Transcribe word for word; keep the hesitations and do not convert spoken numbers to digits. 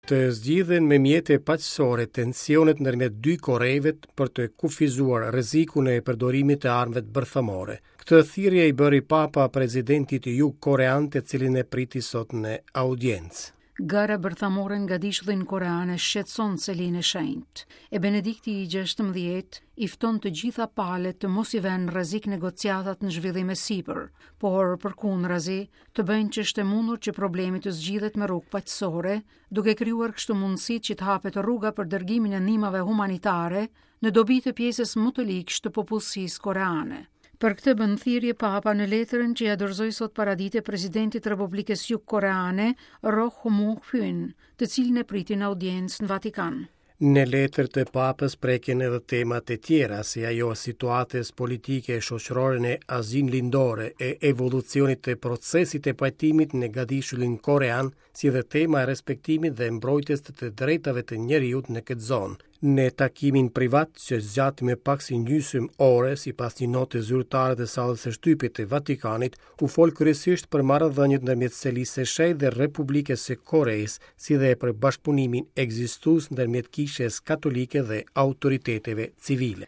Të zgjidhen me mjete paqësore tensionet ndërmjet dy Koreve për të kufizuar rrezikun e përdorimit të armëve bërthamore. Këtë thirrje i bëri Papa presidentit jugkorean, të cilin e priti sot në audiencë. Gara bërthamore në gadishullin korean e shqetëson Selinë e Shenjtë. E Benedikti i gjashtëmbëdhjetë i fton të gjitha palët të mos i vënë rrezik negociatat në zhvillim e sipër, por përkundrazi të bëjnë që është e mundur që problemi të zgjidhet me rrugë paqësore, duke krijuar kështu mundësitë që të hapet rruga për dërgimin e ndihmave humanitare në dobi të pjesës më të ligshtë të popullsisë koreane. Për këtë bën thirrje Papa në letrën që ja dorëzoi sot paradite presidentit të Republikës Jugkoreane, Roh Moo-hyun, të cilin e priti në audiencë në Vatikan. Në letër të Papës prekin edhe temat e tjera, si ajo e situatës politike e shoqërore në Azinë Lindore, e evolucionit të procesit të pajtimit në gadishullin korean, si dhe tema e respektimit dhe mbrojtjes të të drejtave të njeriut në këtë zonë. Në takimin privat që zgjati me pak si gjysmë ore, sipas një note zyrtare të sallës së shtypit të Vatikanit, u fol kryesisht për marrëdhëniet ndërmjet Selisë së Shenjtë dhe Republikës së Koresë, si dhe për bashkëpunimin ekzistues ndërmjet Kishës Katolike dhe autoriteteve civile.